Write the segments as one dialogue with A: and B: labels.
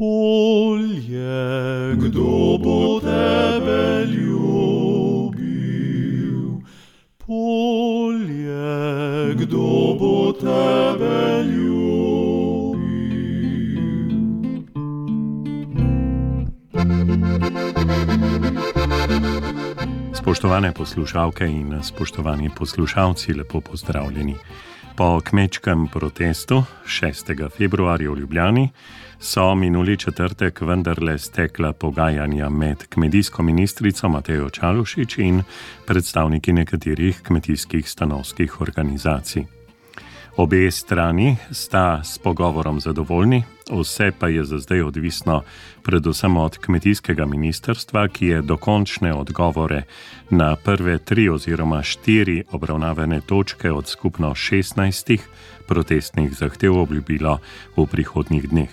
A: polje, kdo bo tebe ljubil? Polje, kdo bo tebe ljubil?
B: Spoštovane poslušalke in spoštovani poslušalci, lepo pozdravljeni. Po kmečkem protestu 6. februarja v Ljubljani so minuli četrtek vendarle stekla pogajanja med kmetijsko ministrico Matejo Čalušić in predstavniki nekaterih kmetijskih stanovskih organizacij. Obe strani sta s pogovorom zadovoljni, vse pa je za zdaj odvisno predvsem od kmetijskega ministrstva, ki je dokončne odgovore na prve 3 oziroma 4 obravnavane točke od skupno 16 protestnih zahtev obljubilo v prihodnjih dneh.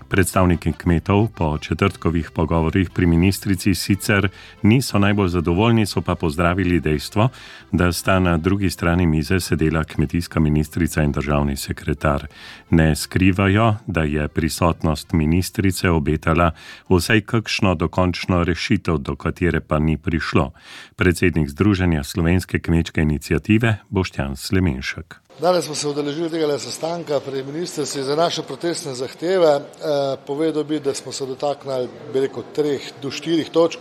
B: Predstavniki kmetov po četrtkovih pogovorih pri ministrici sicer niso najbolj zadovoljni, so pa pozdravili dejstvo, da sta na drugi strani mize sedela kmetijska ministrica in državni sekretar. Ne skrivajo, da je prisotnost ministrice obetala vsaj kakšno dokončno rešitev, do katere pa ni prišlo. Predsednik Združenja slovenske kmečke iniciative Boštjan Slemenšek.
C: Danes smo se udeležili tega sestanka pri ministrici za naše protestne zahteve. Povedal bi, da smo se dotaknili 3 do 4 točk.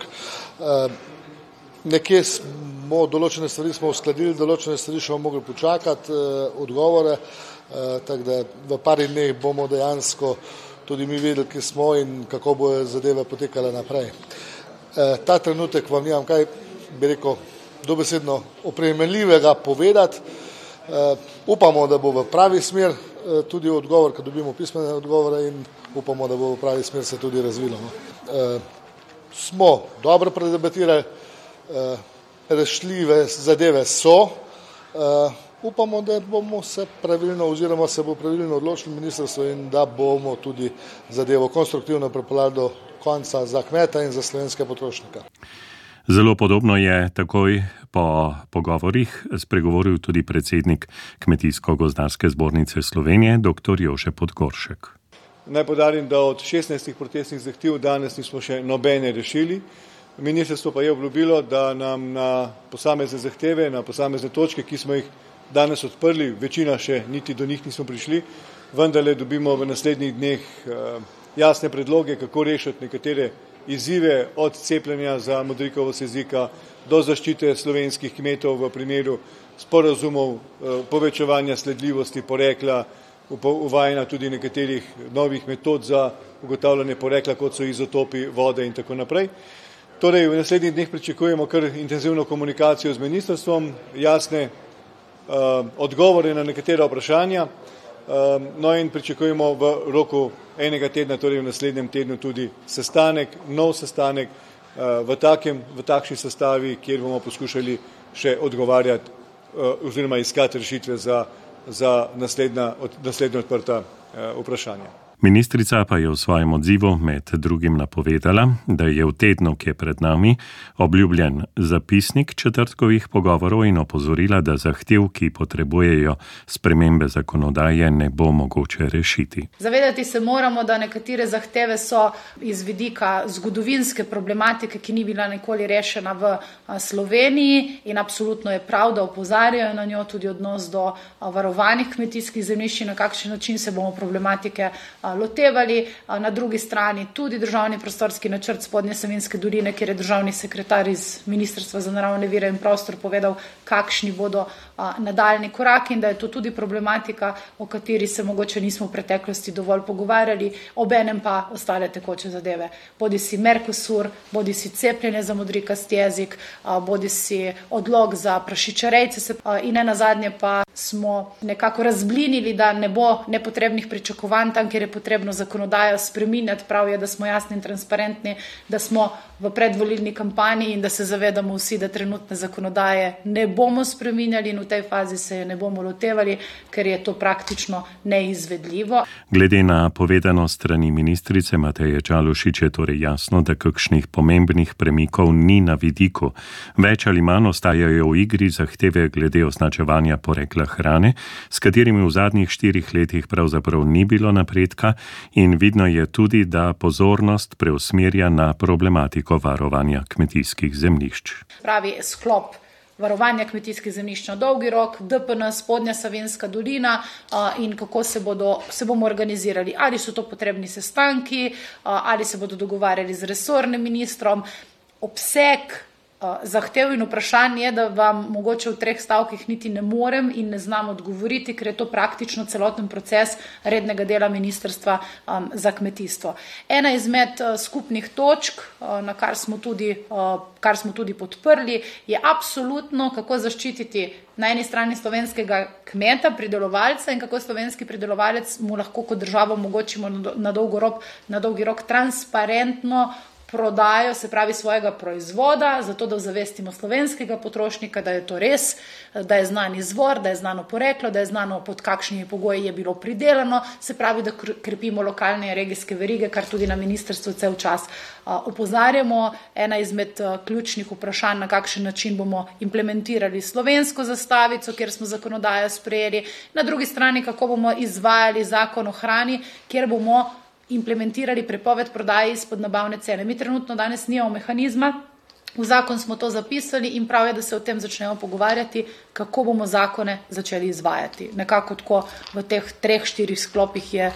C: Nekje smo določene stvari uskladili, določene stvari še bomo mogli počakati odgovore, tako da v par dneh bomo dejansko tudi mi vedeli, kje smo in kako bojo zadeve potekale naprej. Ta trenutek vam nimam kaj, dobesedno opremenljivega povedati. Upamo, da bo v pravi smer tudi odgovor, ko dobimo pismene odgovore, in upamo, da bo v pravi smer se tudi razvilo. Smo dobro predebatirali, rešljive zadeve so. Upamo, da bomo se pravilno oziroma se bo pravilno odločilo ministrstvo in da bomo tudi zadevo konstruktivno pripeljali do konca za kmeta in za slovenske potrošnike.
B: Zelo podobno je takoj po pogovorih spregovoril tudi predsednik Kmetijsko-gozdarske zbornice Slovenije, dr. Jože Podgoršek.
D: Naj poudarim, da od 16 protestnih zahtev danes nismo še nobene rešili. Ministrstvo pa je obljubilo, da nam na posamezne zahteve, na posamezne točke, ki smo jih danes odprli, večina še niti do njih nismo prišli, vendarle dobimo v naslednjih dneh jasne predloge, kako rešiti nekatere izzive, od cepljenja za modrikovost jezika do zaščite slovenskih kmetov v primeru sporazumov, povečevanja sledljivosti porekla, uvajanja tudi nekaterih novih metod za ugotavljanje porekla, kot so izotopi vode in tako naprej. Torej, v naslednjih dneh pričakujemo kar intenzivno komunikacijo z ministrstvom, jasne odgovore na nekatera vprašanja, no in pričakujemo v roku enega tedna, torej v naslednjem tednu tudi nov sestanek v takšni sestavi, kjer bomo poskušali še odgovarjati oziroma iskati rešitve za naslednja odprta vprašanja.
B: Ministrica pa je v svojem odzivu med drugim napovedala, da je v tednu, ki je pred nami, obljubljen zapisnik četrtkovih pogovorov in opozorila, da zahtev, ki potrebujejo spremembe zakonodaje, ne bo mogoče rešiti.
E: Zavedati se moramo, da nekatere zahteve so iz vidika zgodovinske problematike, ki ni bila nikoli rešena v Sloveniji, in absolutno je prav, da opozarjajo na njo, tudi odnos do varovanih kmetijskih zemljišč, na kakšen način se bomo problematike lotevali. Na drugi strani tudi državni prostorski načrt Spodnje Savinjske doline, kjer je državni sekretar iz Ministrstva za naravne vire in prostor povedal, kakšni bodo nadaljni koraki, in da je to tudi problematika, o kateri se mogoče nismo v preteklosti dovolj pogovarjali, obenem pa ostale tekoče zadeve. Bodi si Mercosur, bodi si cepljenje za modrikast jezik, bodi si odlog za prašičarejce, in nenazadnje pa smo nekako razblinili, da ne bo nepotrebnih pričakovanj tam, kjer je potrebno zakonodajo spreminjati. Prav je, da smo jasni in transparentni, da smo v predvolilni kampanji in da se zavedamo vsi, da trenutne zakonodaje ne bomo spreminjali in v tej fazi se je ne bomo lotevali, ker je to praktično neizvedljivo.
B: Glede na povedano strani ministrice Mateje Čalušić je torej jasno, da kakšnih pomembnih premikov ni na vidiku. Več ali manj ostajajo v igri zahteve glede označevanja porekla hrane, s katerimi v zadnjih 4 letih pravzaprav ni bilo napredka, poročevalka in vidno je tudi, da pozornost preusmerja na problematiko varovanja kmetijskih zemljišč.
E: Pravi sklop varovanja kmetijskih zemljišč na dolgi rok, DPN, Spodnja Savinjska dolina in kako se bomo organizirali. Ali so to potrebni sestanki, ali se bodo dogovarjali z resornim ministrom. Obseg zahtev in vprašanj je, da vam mogoče v 3 stavkih niti ne morem in ne znam odgovoriti, ker je to praktično celoten proces rednega dela Ministrstva za kmetijstvo. Ena izmed skupnih točk, kar smo tudi podprli, je absolutno, kako zaščititi na eni strani slovenskega kmeta, pridelovalca in kako slovenski pridelovalec mu lahko kot državo omogočimo na dolgi rok transparentno prodajo, se pravi svojega proizvoda, zato da ozavestimo slovenskega potrošnika, da je to res, da je znan izvor, da je znano poreklo, da je znano pod kakšnimi pogoji je bilo pridelano, se pravi, da krepimo lokalne in regijske verige, kar tudi na ministrstvu cel čas opozarjamo. Ena izmed ključnih vprašanj, na kakšen način bomo implementirali slovensko zastavico, kjer smo zakonodajo sprejeli, na drugi strani, kako bomo izvajali zakon o hrani, kjer bomo implementirali prepoved prodaje izpod nabavne cene. Mi trenutno danes nimamo mehanizma, v zakon smo to zapisali in prav je, da se o tem začnemo pogovarjati, kako bomo zakone začeli izvajati. Nekako tako v teh 3-4 sklopih je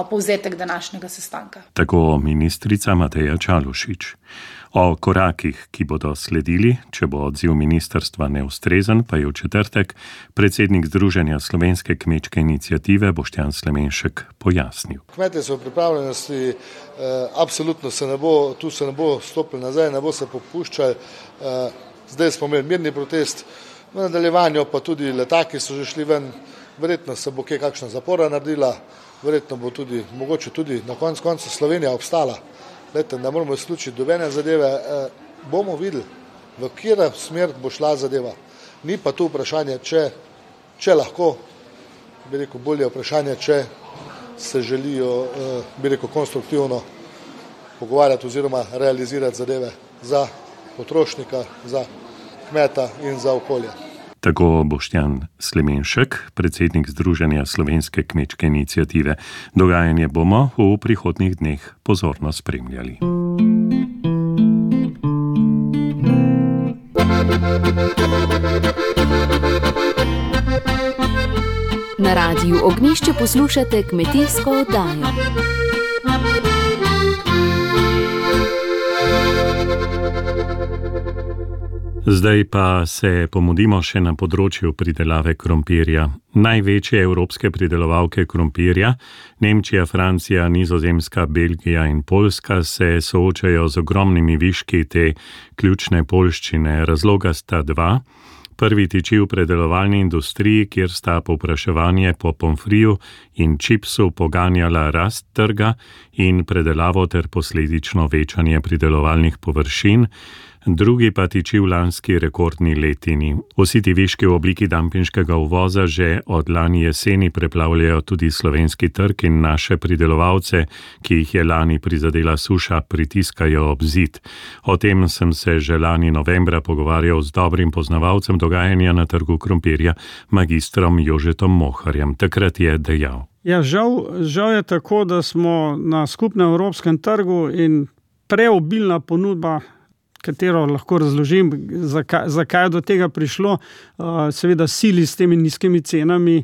E: povzetek današnjega sestanka.
B: Tako ministrica Mateja Čalušić. O korakih, ki bodo sledili, če bo odziv ministrstva neustrezen, pa je v četrtek predsednik Združenja slovenske kmečke iniciative Boštjan Slemenšek pojasnil.
C: Kmetje so v pripravljenosti, absolutno se ne bo stopili nazaj, ne bo se popuščali. Zdaj smo imeli mirni protest, v nadaljevanju pa tudi letaki so že šli ven, verjetno se bo kakšna zapora naredila, verjetno bo tudi, mogoče tudi na koncu Slovenija obstala. Lete, ne moramo izključiti dobene zadeve, bomo videli, v katero smer bo šla zadeva. Ni pa tu vprašanje, če lahko, bi rekel, bolje vprašanje, če se želijo, bi rekel, konstruktivno pogovarjati oziroma realizirati zadeve za potrošnika, za kmeta in za okolje.
B: Tako Boštjan Slemenšek, predsednik Združenja slovenske kmečke iniciative. Dogajanje bomo v prihodnjih dneh pozorno spremljali.
F: Na Radiu Ognjišče poslušate kmetijsko oddajo.
B: Zdaj pa se pomudimo še na področju pridelave krompirja. Največje evropske pridelovalke krompirja, Nemčija, Francija, Nizozemska, Belgija in Poljska, se soočajo z ogromnimi viški te ključne poljščine. Razloga sta 2. Prvi tiči v predelovalni industriji, kjer sta povpraševanje po pomfriju in čipsu poganjala rast trga in predelavo ter posledično večanje pridelovalnih površin. Drugi pa tiči v lanski rekordni letini. Vsi ti viški v obliki dampinškega uvoza že od lani jeseni preplavljajo tudi slovenski trg in naše pridelovalce, ki jih je lani prizadela suša, pritiskajo ob zid. O tem sem se že lani novembra pogovarjal z dobrim poznavalcem dogajanja na trgu krompirja, magistrom Jožetom Moharjem. Takrat je dejal.
G: Ja, žal je tako, da smo na skupnem evropskem trgu in preobilna ponudba, katero lahko razložim, zakaj je do tega prišlo, seveda sili s temi nizkimi cenami,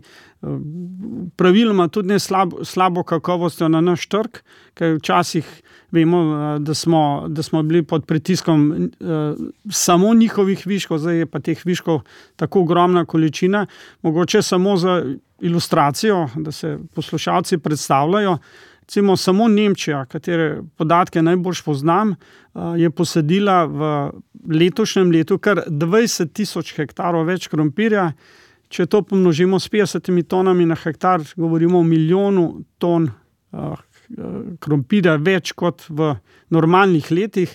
G: praviloma tudi ne slabo kakovostjo na naš trg, ker včasih vemo, da smo bili pod pritiskom samo njihovih viškov, zdaj je pa teh viškov tako ogromna količina. Mogoče samo za ilustracijo, da se poslušalci predstavljajo, recimo samo Nemčija, katere podatke najbolj poznam, je posadila v letošnjem letu kar 20,000 hektarov več krompirja. Če to pomnožimo s 50 tonami na hektar, govorimo o 1 milijonu ton krompirja več kot v normalnih letih.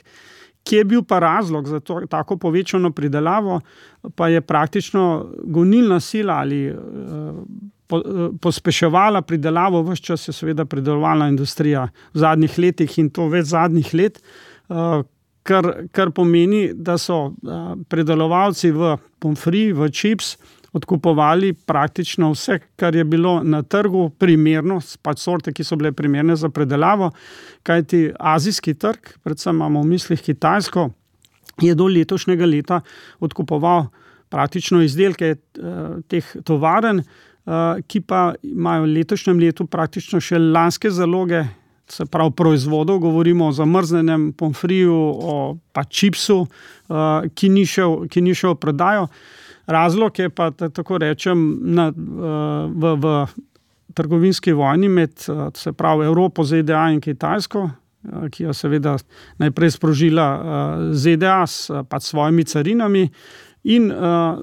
G: Kje je bil pa razlog za tako povečano pridelavo, pa je praktično gonilna sila ali pospeševala pridelavo, ves čas je seveda pridelovalna industrija v zadnjih letih in to več zadnjih let, kar pomeni, da so pridelovalci v pomfri, v čips odkupovali praktično vse, kar je bilo na trgu primerno, pač sorte, ki so bile primerne za predelavo, kajti azijski trg, predvsem imamo v mislih Kitajsko, je do letošnjega leta odkupoval praktično izdelke teh tovaren, ki pa imajo v letošnjem letu praktično še lanske zaloge, se pravi proizvodov, govorimo o zamrznenem pomfriju, o pa čipsu, ki ni šel v prodajo. Razlog je pa, tako rečem, v trgovinski vojni med, se pravi, Evropo, ZDA in Kitajsko, ki jo seveda najprej sprožila ZDA s svojimi carinami in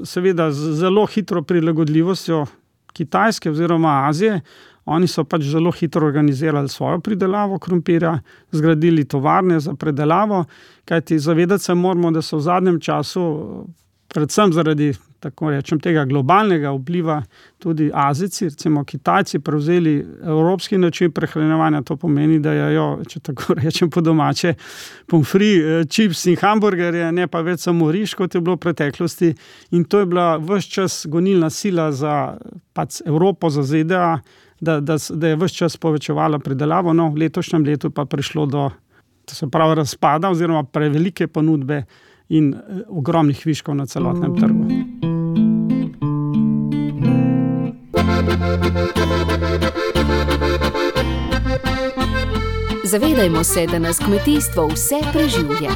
G: seveda z zelo hitro prilagodljivostjo Kitajske oziroma Azije. Oni so pač zelo hitro organizirali svojo pridelavo krompirja, zgradili tovarne za predelavo, kajti zavedati se moramo, da so v zadnjem času, predvsem zaradi, tako rečem, tega globalnega vpliva tudi Azijci, recimo Kitajci, prevzeli evropski način prehranjevanja. To pomeni, da jejo, če tako rečem po domače, pomfri, čips in hamburgerje, ne pa več samo riž, kot je bilo v preteklosti. In to je bila ves čas gonilna sila za pač Evropo, za ZDA, da je ves čas povečevala pridelavo. No, v letošnjem letu pa prišlo do, se pravi, razpada oziroma prevelike ponudbe in ogromnih viškov na celotnem trgu.
F: Zavedajmo se, da nas kmetijstvo vse preživlja.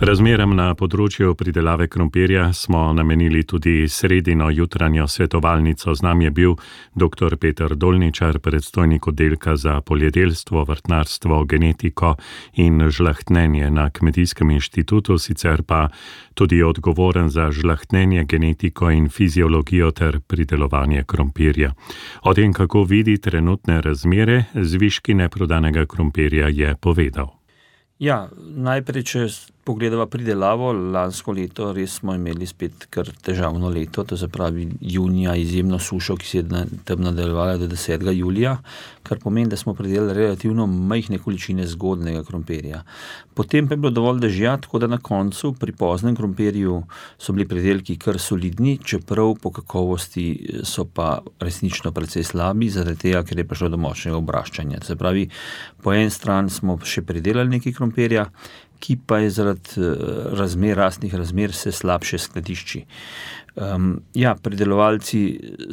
B: Razmeram na področju pridelave krompirja smo namenili tudi sredino jutranjo svetovalnico. Z nami je bil dr. Peter Dolničar, predstojnik oddelka za poljedelstvo, vrtnarstvo, genetiko in žlahtnenje na Kmetijskem inštitutu, sicer pa tudi odgovoren za žlahtnenje, genetiko in fiziologijo ter pridelovanje krompirja. O tem, kako vidi trenutne razmere z viški neprodanega krompirja, je povedal.
H: Ja, najprej, če pogledava pridelavo, lansko leto res smo imeli spet kar težavno leto, to se pravi junija izjemno sušo, ki se je tam nadaljevala do 10. julija, kar pomeni, da smo pridelali relativno majhne količine zgodnega krompirja. Potem pa je bilo dovolj dežja, tako da na koncu pri poznem krompirju so bili pridelki kar solidni, čeprav po kakovosti so pa resnično precej slabi, zaradi tega, ker je prišlo do močnega obraščanja. Se pravi, po eni strani smo še pridelali nekaj krompirja, ki pa je zaradi rastnih razmer se slabše skladišči. Pridelovalci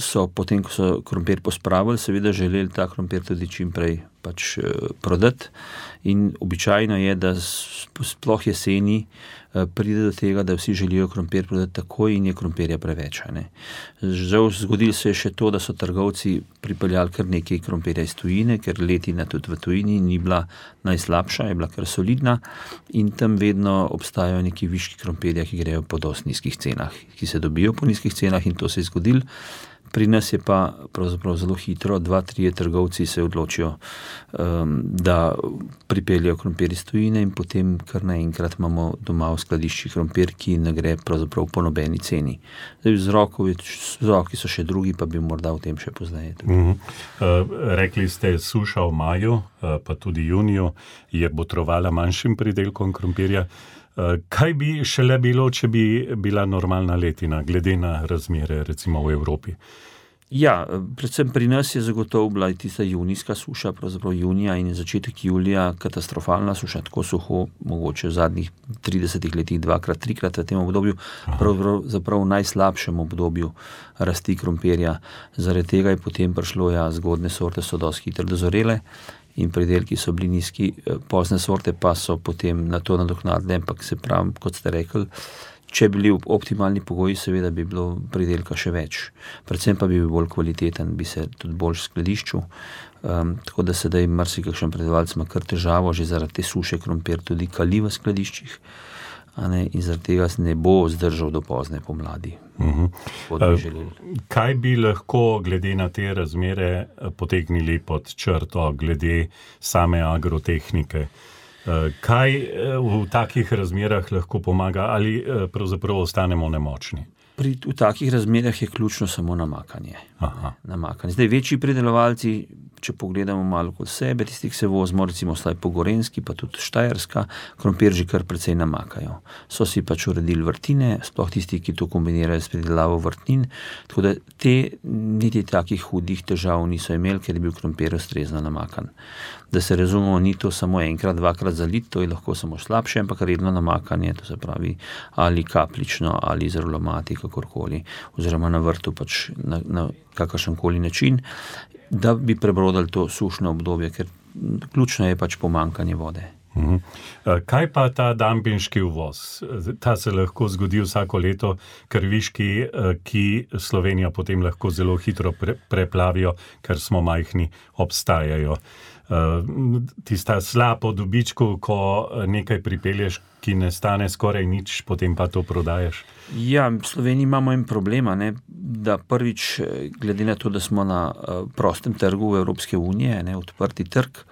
H: so potem, ko so krompir pospravili, seveda želeli ta krompir tudi čim prej prodati in običajno je, da sploh jeseni pride do tega, da vsi želijo krompir prodati takoj in je krompirja preveč. Žal zgodilo se je še to, da so trgovci pripeljali kar nekaj krompirja iz tujine, ker letina tudi v tujini ni bila najslabša, je bila kar solidna in tam vedno obstajajo neki viški krompirja, ki grejo po dosti nizkih cenah, ki se dobijo po nizkih cenah in to se je zgodilo. Pri nas je pa pravzaprav zelo hitro, 2-3 trgovci se odločijo, da pripeljajo krompir iz tujine in potem kar naenkrat imamo doma v skladiščih krompir, ki ne gre pravzaprav po nobeni ceni. Vzroki so še drugi, pa bi morda o tem še pozneje.
B: Rekli ste, suša v maju, pa tudi juniju je botrovala manjšim pridelkom krompirja. Kaj bi šele bilo, če bi bila normalna letina, glede na razmere recimo v Evropi?
H: Ja, predvsem pri nas je zagotovo bila tista junijska suša, pravzaprav junija in začetek julija katastrofalna suša, tako suho, mogoče v zadnjih 30 letih 2-krat, 3-krat v tem obdobju, pravzaprav v najslabšem obdobju rasti krompirja. Zaradi tega je potem prišlo, zgodne sorte so dosti hitro dozorele in pridelki so bili nizki, pozne sorte pa so potem na to nadoknadile, ampak se pravi, kot ste rekli, če bi bili optimalni pogoji, seveda bi bilo pridelka še več. Predvsem pa bi bil bolj kvaliteten, bi se tudi bolj skladiščil. Tako da sedaj marsikakšen pridelovalec ima kar težavo, že zaradi te suše krompir tudi kali v skladiščih, in zaradi tega ne bo zdržal do pozne pomladi.
B: Kaj bi lahko glede na te razmere potegnili pod črto glede same agrotehnike? Kaj v takih razmerah lahko pomaga ali pravzaprav ostanemo nemočni?
H: V takih razmerah je ključno samo namakanje. Zdaj, večji pridelovalci če pogledamo malo kot sebe, tisti, ki se vozimo, recimo slaj po Gorenjski, pa tudi Štajerska, krompir že kar precej namakajo. So si pač uredili vrtine, sploh tisti, ki to kombinirajo s pridelavo vrtnin, tako da te niti takih hudih težav niso imeli, ker je bil krompir ustrezno namakan. Da se razumemo, ni to samo enkrat, dvakrat zalit, to je lahko samo slabše, ampak redno namakanje, to se pravi ali kapljično, ali z aromati, kakorkoli, oziroma na vrtu pač na kakršenkoli način, da bi prebrodili to sušno obdobje, ker ključno je pač pomanjkanje vode.
B: Kaj pa ta dampinški uvoz? Ta se lahko zgodi vsako leto, ker viški, ki Slovenijo potem lahko zelo hitro preplavijo, ker smo majhni, obstajajo. Tista slab po dobičku, ko nekaj pripelješ, ki ne stane skoraj nič, potem pa to prodajaš?
H: Ja, v Sloveniji imamo en problema, da prvič, glede na to, da smo na prostem trgu v Evropske unije, odprti trg,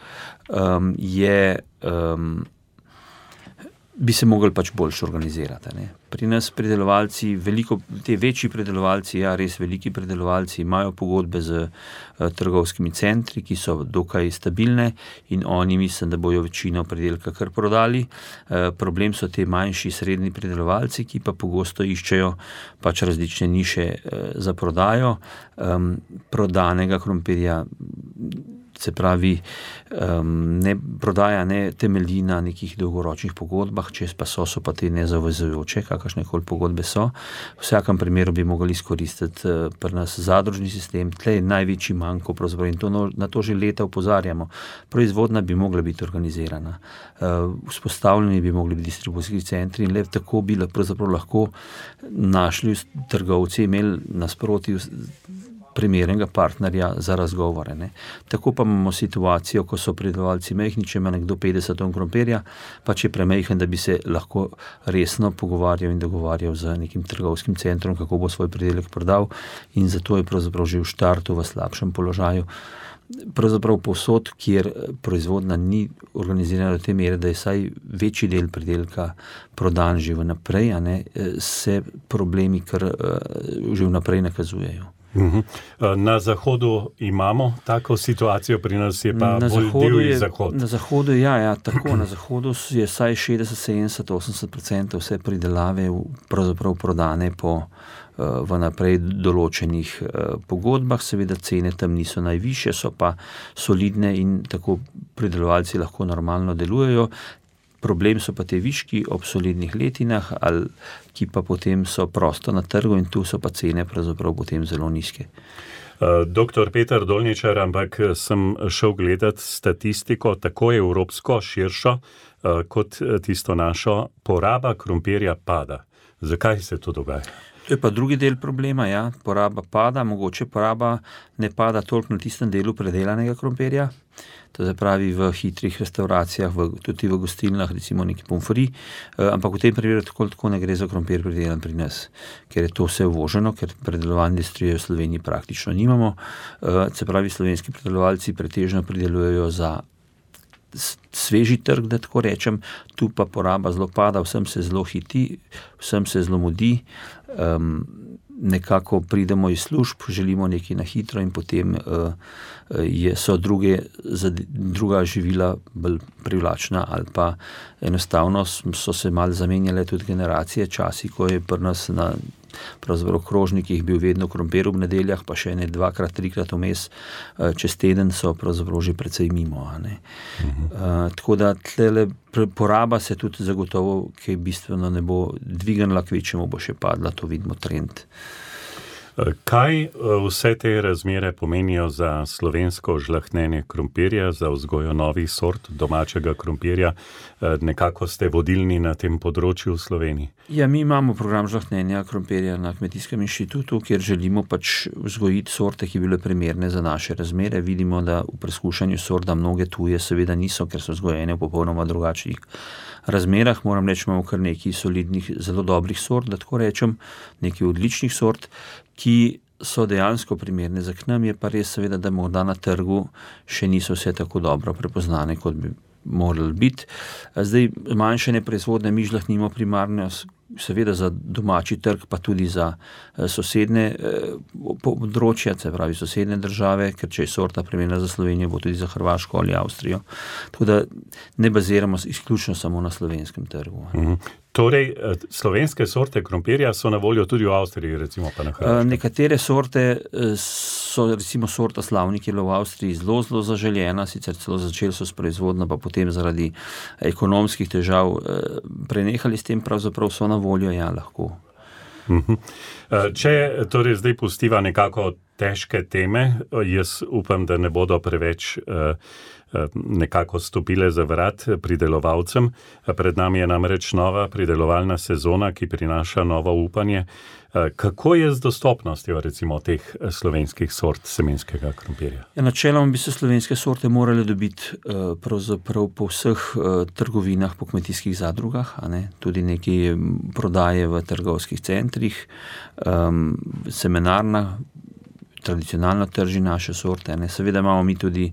H: bi se mogli pač boljše organizirati. Pri nas pridelovalci, te večji pridelovalci, res veliki pridelovalci, imajo pogodbe z trgovskimi centri, ki so dokaj stabilne in oni mislim, da bojo večino pridelka kar prodali. Problem so te manjši, srednji pridelovalci, ki pa pogosto iščejo pač različne niše za prodajo. Prodanega krompirja, se pravi, prodaja ne temelji na nekih dolgoročnih pogodbah, če pa so pa te nezavezujoče, kakršnekoli pogodbe so. V vsakem primeru bi mogli izkoristiti pri nas zadružni sistem, tle je največji manko, pravzaprav, in na to že leta opozarjamo. Proizvodnja bi mogla biti organizirana, vzpostavljeni bi mogli biti distribucijski centri in le tako bi pravzaprav lahko našli trgovci, imeli nasproti primernega partnerja za razgovore. Tako pa imamo situacijo, ko so pridelovalci majhni, če ima nekdo 50 ton krompirja, pa če je premajhen, da bi se lahko resno pogovarjal in dogovarjal z nekim trgovskim centrom, kako bo svoj pridelek prodal, in zato je pravzaprav že v štartu v slabšem položaju. Pravzaprav povsod, kjer proizvodnja ni organizirana do te mere, da je vsaj večji del pridelka prodan že vnaprej, se problemi kar že vnaprej nakazujejo.
B: Na zahodu imamo tako situacijo, pri nas je pa bolj divji zahod.
H: Na zahodu, tako. Na zahodu je vsaj 60, 70, 80% vse pridelave pravzaprav prodane po vnaprej določenih pogodbah. Seveda cene tam niso najvišje, so pa solidne in tako pridelovalci lahko normalno delujejo. Problem so pa te viški ob solidnih letinah, ki pa potem so prosto na trgu in tu so pa cene pravzaprav potem zelo nizke.
B: Doktor Peter Dolničar, ampak sem šel gledati statistiko, tako evropsko, širšo, kot tisto našo, poraba krompirja pada. Zakaj se to dogaja?
H: To je pa drugi del problema, poraba pada, mogoče poraba ne pada toliko na tistem delu predelanega krompirja, to se pravi v hitrih restauracijah, tudi v gostilnah, recimo neki pomfri, ampak v tem primeru tako ne gre za krompir predelan pri nas, ker je to vse uvoženo, ker predelovalne industrije v Sloveniji praktično nimamo, se pravi slovenski predelovalci pretežno pridelujejo za sveži trg, da tako rečem, tu pa poraba zelo pada, vsem se zelo hiti, vsem se zelo mudi, nekako pridemo iz služb, želimo nekaj na hitro in potem so druga živila bolj privlačna ali pa enostavno so se malo zamenjale tudi generacije, časi, ko je pri nas na pravzaprav krožnikih bil vedno krompir ob nedeljah, pa še ne 2-krat, 3-krat vmes čez teden so pravzaprav že precej mimo. Tako da tlele poraba se tudi zagotovo, ki bistveno ne bo dvignila, kvečemu bo še padla, to vidimo trend.
B: Kaj vse te razmere pomenijo za slovensko žlahtnjenje krompirja, za vzgojo novih sort domačega krompirja? Nekako ste vodilni na tem področju v Sloveniji.
H: Ja, mi imamo program žlahtnjenja krompirja na Kmetijskem inštitutu, kjer želimo pač vzgojiti sorte, ki bile primerne za naše razmere. Vidimo, da v preskušanju sort, da mnoge tuje seveda niso, ker so vzgojene v popolnoma drugačnih razmerah. Moram reči, imamo kar nekaj solidnih, zelo dobrih sort, da tako rečem, nekaj odličnih sort, ki so dejansko primerne za k nam, je pa res seveda, da morda na trgu še niso vse tako dobro prepoznane, kot bi morali biti. Zdaj, manjšanje proizvodne mi žlahtnimo primarno seveda za domači trg, pa tudi za sosedne področja, se pravi sosedne države, ker če je sorta primerna za Slovenijo, bo tudi za Hrvaško ali Avstrijo. Tako da ne baziramo izključno samo na slovenskem trgu.
B: Torej, slovenske sorte krompirja so na voljo tudi v Avstriji, recimo pa na Hrvaškem?
H: Nekatere sorte so, recimo sorta Slavnik je bila v Avstriji zelo zaželjena, sicer celo začeli so s proizvodnjo, pa potem zaradi ekonomskih težav prenehali s tem, pravzaprav so na voljo, ja, lahko.
B: Če torej zdaj pustiva nekako težke teme, jaz upam, da ne bodo preveč nekako stopile za vrat pridelovalcem. Pred nami je namreč nova pridelovalna sezona, ki prinaša novo upanje. Kako je z dostopnostjo recimo teh slovenskih sort semenskega krompirja?
H: Ja, načeloma bi se slovenske sorte morale dobiti pravzaprav po vseh trgovinah, po kmetijskih zadrugah, tudi nekaj prodaje v trgovskih centrih, semenarna, tradicionalno trži naše sorte. Seveda imamo mi tudi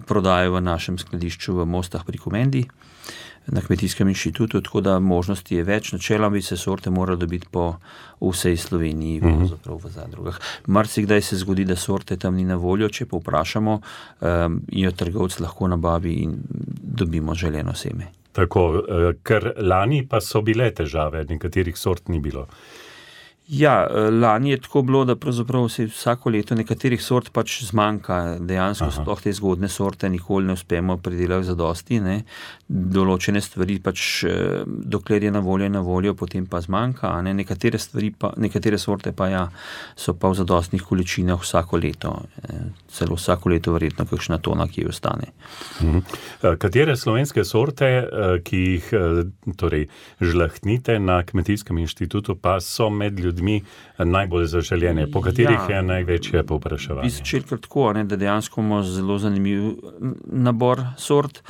H: prodajo v našem skladišču v Mostah pri Komendi, na Kmetijskem inštitutu, tako da možnosti je več. Načeloma bi se sorte morali dobiti po vsej Sloveniji, v zadrugah. Marsikdaj se zgodi, da sorte tam ni na voljo, če pa vprašamo, jo trgovec lahko nabavi in dobimo želeno seme.
B: Tako, ker lani pa so bile težave, nekaterih sort ni bilo.
H: Ja, lani je tako bilo, da pravzaprav se vsako leto nekaterih sort pač zmanjka, dejansko sploh te zgodne sorte nikoli ne uspemo pridelati zadosti, določene stvari pač, dokler je na voljo, potem pa zmanjka, nekatere sorte pa ja, so pa v zadostnih količinah vsako leto, celo vsako leto verjetno kakšna tona, ki ostane.
B: Katere slovenske sorte, ki jih torej žlahtnite na Kmetijskem inštitutu, pa so med ljudmi najbolj zaželjene, po katerih je največje povpraševanje?
H: Bi začeli kar tako, da dejansko imamo zelo zanimiv nabor sort.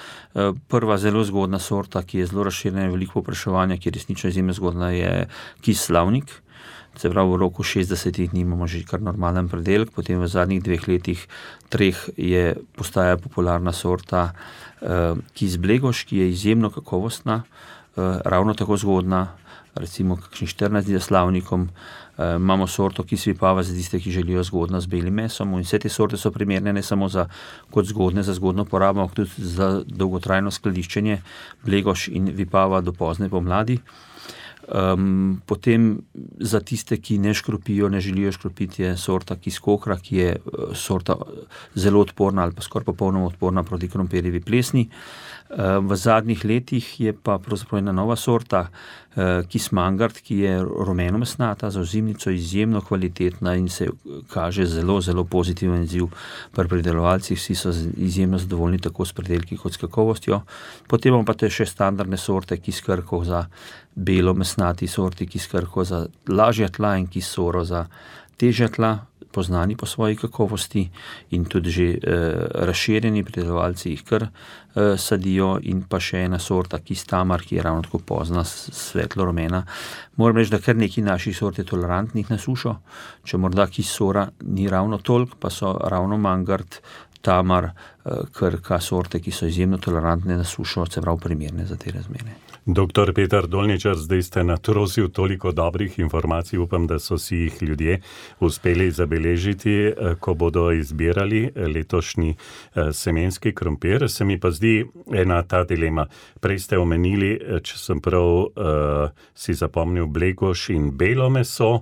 H: Prva zelo zgodna sorta, ki je zelo razširjena in veliko povpraševanja, ki je resnično izjemno zgodna, je kis Slavnik. Se pravi, v roku 60 dni imamo že kar normalen predelek, potem v zadnjih 2 letih, 3 postaja popularna sorta kis Blegoš, ki je izjemno kakovostna, ravno tako zgodna, recimo kakšni 14 dni za Slavnikom. Imamo sorto kis Vipava za tiste, ki želijo zgodno z belim mesom, in vse te sorte so primerne ne samo kot zgodne za zgodno porabo, ampak tudi za dolgotrajno skladiščenje, Blegoš in Vipava do pozne pomladi. Potem za tiste, ki ne škropijo, ne želijo škropiti, je sorta kis Kokra, ki je sorta zelo odporna ali pa skoraj popolnoma odporna proti krompirjevi plesni. V zadnjih letih je pa pravzaprav ena nova sorta, kis Mangart, ki je rumenomesnata, za ozimnico izjemno kvalitetna in se kaže zelo pozitiven izziv pri pridelovalcih. Vsi so izjemno zadovoljni tako s pridelki kot s kakovostjo. Potem imamo pa te še standardne sorte, kis Krko za belomesnati sorti, kis Krko za lažja tla in kis Soro za težja tla, poznani po svoji kakovosti in tudi že razširjeni pridelovalci jih kar sadijo, in pa še ena sorta kis Tamar, ki je ravno tako pozna, svetlo rumena. Moram reči, da kar nekaj naših sort je tolerantnih na sušo, če morda kis Sora ni ravno toliko, pa so ravno Mangart, Tamar, Krka sorte, ki so izjemno tolerantne na sušo, se pravi primerne za te razmere.
B: Doktor Peter Dolničar, zdaj ste natrosil toliko dobrih informacij, upam, da so si jih ljudje uspeli zabeležiti, ko bodo izbirali letošnji semenski krompir. Se mi pa zdi ena ta dilema. Prej ste omenili, če sem prav si zapomnil, Blegoš in belo meso,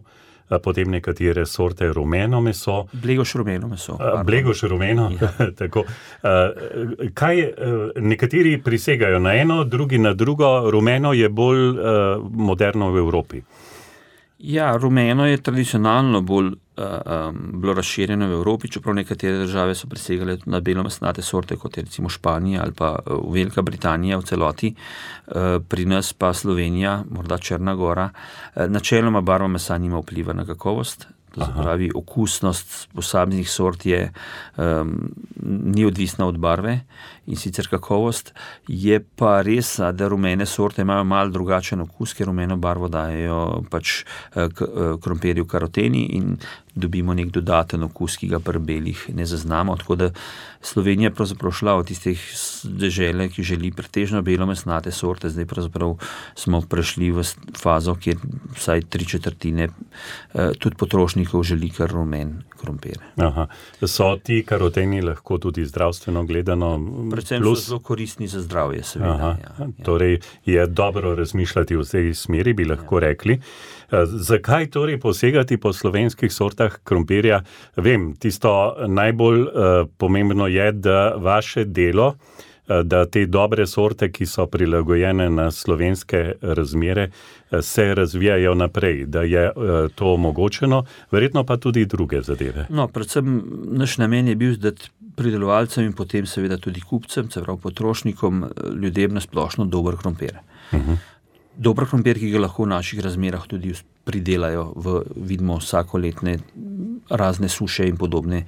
B: potem nekatere sorte rumeno meso.
H: Blegoš rumeno meso.
B: Blegoš rumeno, tako. Kaj nekateri prisegajo na eno, drugi na drugo, rumeno je bolj moderno v Evropi?
H: Ja, rumeno je tradicionalno bolj bilo razširjeno v Evropi, čeprav nekatere države so presegale na belomesnate sorte, kot je recimo Španija ali pa Velika Britanija v celoti, pri nas pa Slovenija, morda Črna Gora. Načeloma barva mesa nima vpliva na kakovost, to se pravi, okusnost posameznih sort ni odvisna od barve in sicer kakovost. Je pa res, da rumene sorte imajo malo drugačen okus, ker rumeno barvo dajejo pač krompirju karoteni in dobimo nek dodaten okus, ki ga pri belih ne zaznamo. Tako da Slovenija je pravzaprav šla od tistih dežele, ki želi pretežno belomesnate sorte, zdaj pravzaprav smo prešli v fazo, kjer vsaj 3/4 tudi potrošnikov želi kar rumen krompir.
B: Aha. So ti karoteni lahko tudi zdravstveno gledano
H: predvsem
B: plus?
H: So zelo koristni za zdravje, seveda. Ja.
B: Torej je dobro razmišljati v tej smeri, bi lahko rekli. Zakaj torej posegati po slovenskih sortah krompirja? Vem, tisto najbolj pomembno je, da vaše delo, da te dobre sorte, ki so prilagojene na slovenske razmere, se razvijajo naprej, da je to omogočeno, verjetno pa tudi druge zadeve.
H: No, predvsem naš namen je bil, da pridelovalcem in potem seveda tudi kupcem, se pravi potrošnikom, ljudem na splošno dober krompir. Dober krompir, ki ga lahko v naših razmerah tudi pridelajo, vidimo vsakoletne razne suše in podobne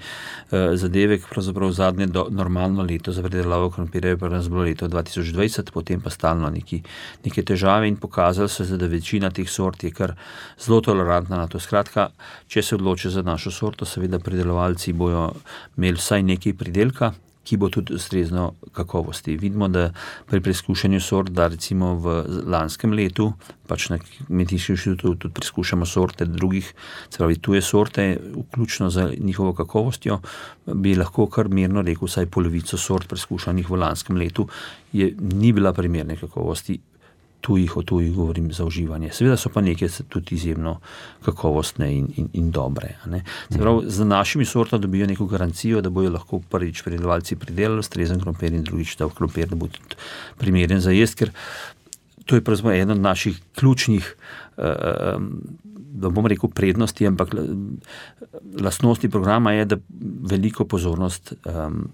H: zadeve, pravzaprav zadnje normalno leto za pridelavo krompirja je pa nas bilo leto 2020, potem pa stalno neke težave in pokazalo se, da večina teh sort je kar zelo tolerantna na to. Skratka, če se odloči za našo sorto, seveda pridelovalci bojo imeli vsaj nekaj pridelka, ki bo tudi ustrezno kakovosti. Vidimo, da pri preizkušanju sort, da recimo v lanskem letu, pač na Kmetijskem inštitutu tudi preizkušamo sorte drugih, se pravi tuje sorte, vključno za njihovo kakovostjo, bi lahko kar mirno rekel, vsaj polovico sort preizkušanih v lanskem letu ni bila primerne kakovosti, o tujih govorim za uživanje. Seveda so pa neke tudi izjemno kakovostne in dobre. Se pravi, za našimi sortami dobijo neko garancijo, da bojo lahko prvič pridelovalci pridelali ustrezen krompir in drugič ta krompir, da bo tudi primeren za jest, ker to je pravzaprav eden od naših ključnih, da bom rekel prednosti, ampak lastnosti programa je, da veliko pozornost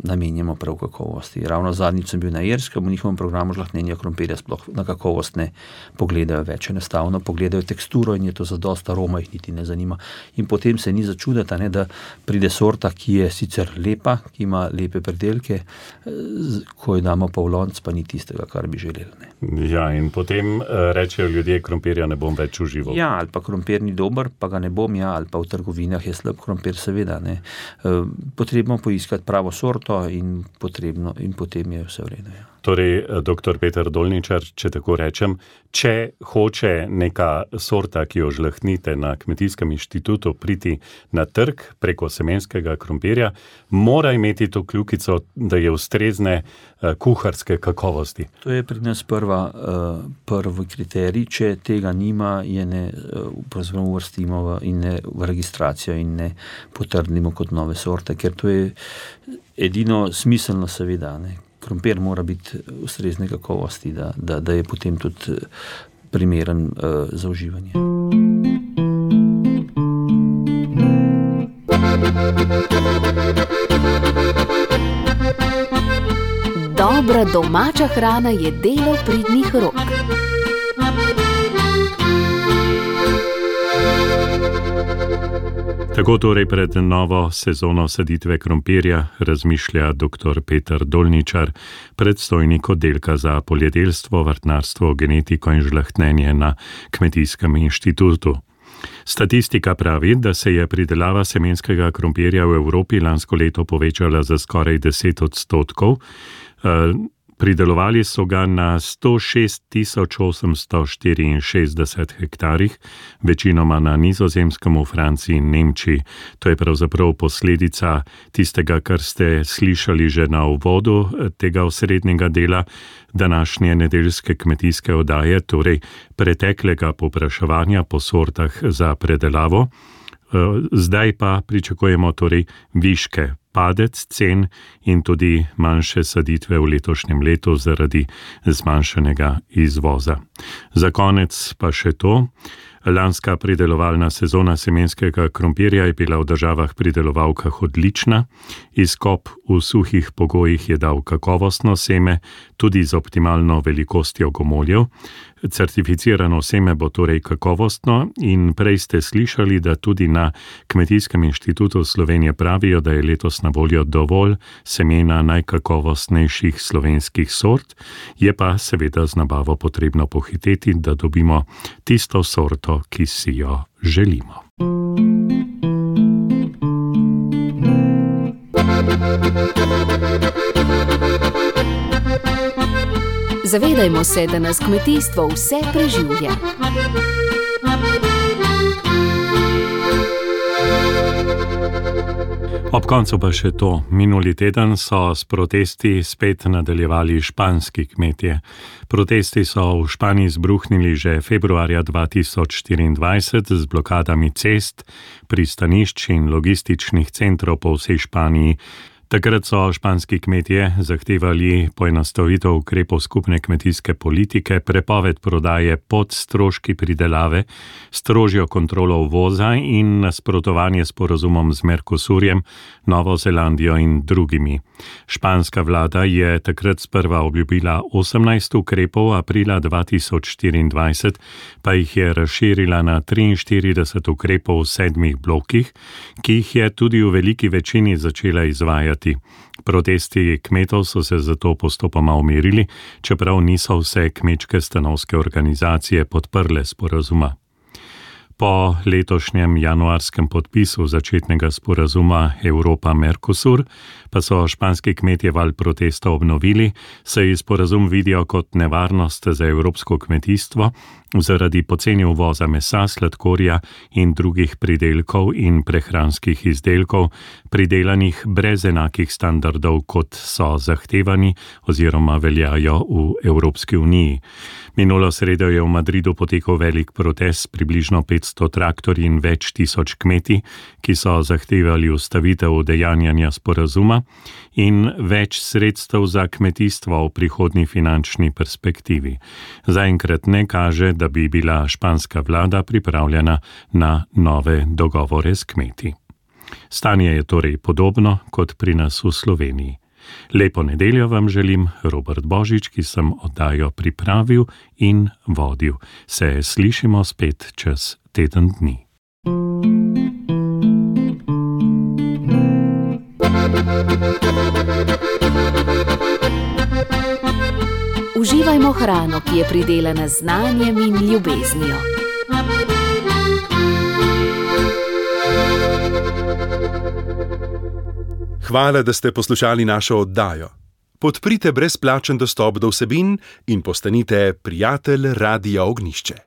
H: namenjamo prav kakovosti. Ravno zadnjič sem bil na Irskem, v njihovem programu žlahtnjenja krompirja sploh na kakovost ne pogledajo več, enostavno pogledajo teksturo in je to zadosti, aroma jih niti ne zanima. In potem se ni začuditi, da pride sorta, ki je sicer lepa, ki ima lepe predelke, ko jo damo pa v lonec, pa ni tistega, kar bi želeli.
B: Ja, in potem rečejo ljudje, krompirja ne bom več užival.
H: Ja, ali pa krompir ni dober, pa ga ne bom, ali pa v trgovinah je slab krompir, seveda. Potrebno poiskati pravo sorto in potem je vse v redu. Ja.
B: Torej, dr. Peter Dolničar, če tako rečem, če hoče neka sorta, ki jo žlahtnite na Kmetijskem inštitutu, priti na trg preko semenskega krompirja, mora imeti to kljukico, da je ustrezne kuharske kakovosti.
H: To je pri nas prvi kriterij. Če tega nima, je ne uvrstimo v registracijo in ne potrdimo kot nove sorte, ker to je edino smiselno, seveda. Krompir mora biti ustrezne kakovosti, da je potem tudi primeren za uživanje.
F: Dobra domača hrana je delo pridnih rok.
B: Tako torej pred novo sezono saditve krompirja razmišlja dr. Peter Dolničar, predstojnik oddelka za poljedelstvo, vrtnarstvo, genetiko in žlahtnjenje na Kmetijskem inštitutu. Statistika pravi, da se je pridelava semenskega krompirja v Evropi lansko leto povečala za skoraj 10%. Pridelovali so ga na 106.864 hektarjih, večinoma na Nizozemskem, v Franciji in Nemčiji. To je pravzaprav posledica tistega, kar ste slišali že na uvodu tega osrednjega dela današnje nedeljske kmetijske oddaje, torej preteklega povpraševanja po sortah za predelavo. Zdaj pa pričakujemo torej viške, padec cen in tudi manjše saditve v letošnjem letu zaradi zmanjšanega izvoza. Za konec pa še to. Lanska pridelovalna sezona semenskega krompirja je bila v državah pridelovalkah odlična. Izkop v suhih pogojih je dal kakovostno seme, tudi z optimalno velikostjo gomoljev. Certificirano seme bo torej kakovostno in prej ste slišali, da tudi na Kmetijskem inštitutu Slovenije pravijo, da je letos na voljo dovolj semena najkakovostnejših slovenskih sort, je pa seveda z nabavo potrebno pohiteti, da dobimo tisto sorto, ki si jo želimo.
F: Zavedajmo se, da nas kmetijstvo vse preživlja.
B: Ob koncu pa še to. Minuli teden so s protesti spet nadaljevali španski kmetje. Protesti so v Španiji izbruhnili že februarja 2024 z blokadami cest, pristanišč in logističnih centrov po vsej Španiji. Takrat so španski kmetje zahtevali poenostavitev ukrepov skupne kmetijske politike, prepoved prodaje pod stroški pridelave, strožjo kontrolo uvoza in nasprotovanje sporazumom z Mercosurjem, Novo Zelandijo in drugimi. Španska vlada je takrat sprva obljubila 18 ukrepov, aprila 2024 pa jih je razširila na 43 ukrepov v 7 blokih, ki jih je tudi v veliki večini začela izvajati. Protesti kmetov so se zato postopoma umirili, čeprav niso vse kmečke stanovske organizacije podprle sporazuma. Po letošnjem januarskem podpisu začetnega sporazuma Evropa-Mercosur pa so španski kmetje val protesta obnovili, saj sporazum vidijo kot nevarnost za evropsko kmetijstvo zaradi poceni uvoza mesa, sladkorja in drugih pridelkov in prehranskih izdelkov, pridelanih brez enakih standardov, kot so zahtevani oziroma veljajo v Evropski uniji. Minulo sredo je v Madridu potekal velik protest, približno 500 traktorji in več tisoč kmetij, ki so zahtevali ustavitev udejanjanja sporazuma in več sredstev za kmetijstvo v prihodnji finančni perspektivi. Zaenkrat ne kaže, da bi bila španska vlada pripravljena na nove dogovore s kmeti. Stanje je torej podobno kot pri nas v Sloveniji. Lepo nedeljo vam želim, Robert Božič, ki sem oddajo pripravil in vodil. Se slišimo spet čez teden dni.
F: Uživajmo hrano, ki je pridelana z znanjem in ljubeznijo.
I: Hvala, da ste poslušali našo oddajo. Podprite brezplačen dostop do vsebin in postanite prijatelj Radia Ognjišče.